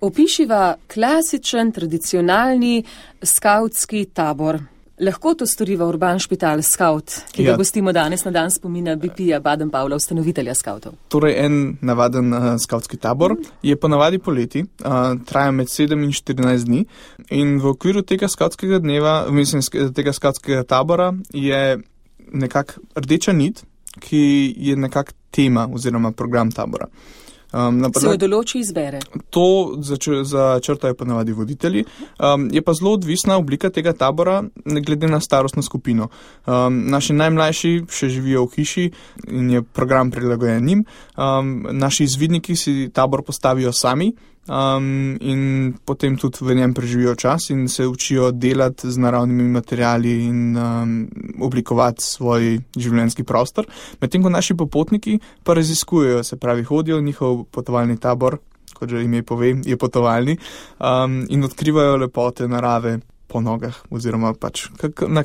Opišiva klasičen, tradicionalni skavtski tabor. Lahko to storiva Urban Špital Skaut, ki ga gostimo danes na dan spomina BP-ja Baden-Powella, ustanovitelja skavtov. Torej, en navaden skavtski tabor je ponavadi poleti, traja med 7 in 14 dni in v okviru tega skavtskega dneva, tega skavtskega tabora je nekak rdeča nit, ki je nekak tema oziroma program tabora. Se jo določi izbere? To začrtajo ponavadi voditelji. Je pa zelo odvisna oblika tega tabora glede na starostno skupino. Naši najmlajši še živijo v hiši in je program prilagojen njim. Naši izvidniki si tabor postavijo sami in potem tudi v njem preživijo čas in se učijo delati z naravnimi materiali in oblikovati svoj življenjski prostor. Medtem ko naši popotniki pa raziskujejo, se pravi hodijo, njihov potovalni tabor, kot že ime pove, je potovalni in odkrivajo lepote narave po nogah oziroma pač na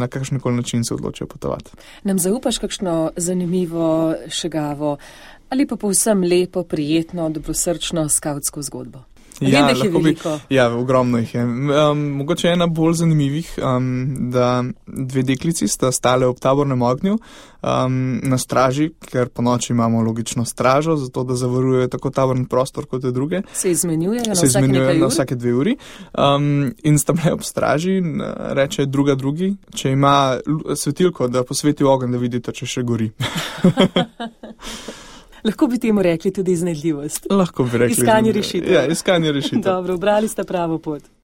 kakšenkoli način se odločijo potovati. Nam zaupaš kakšno zanimivo, šegavo ali pa povsem lepo, prijetno, dobrosrčno skavtsko zgodbo? Vem, da jih je veliko. Ogromno jih je. Mogoče ena bolj zanimivih, da dve deklici sta stale ob tabornem ognju na straži, ker po noči imamo logično stražo, zato da zavarujejo tako taborni prostor kot druge. Se izmenjujejo na vsake 2 uri. In sta bile ob straži, reče drugi, če ima svetilko, da posveti ogenj, da vidite, če še gori. Lahko bi temu rekli tudi iznajdljivost. Lahko bi rekli. Iskanje rešitev. Ja, iskanje rešitev. Dobro, ubrali ste pravo pot.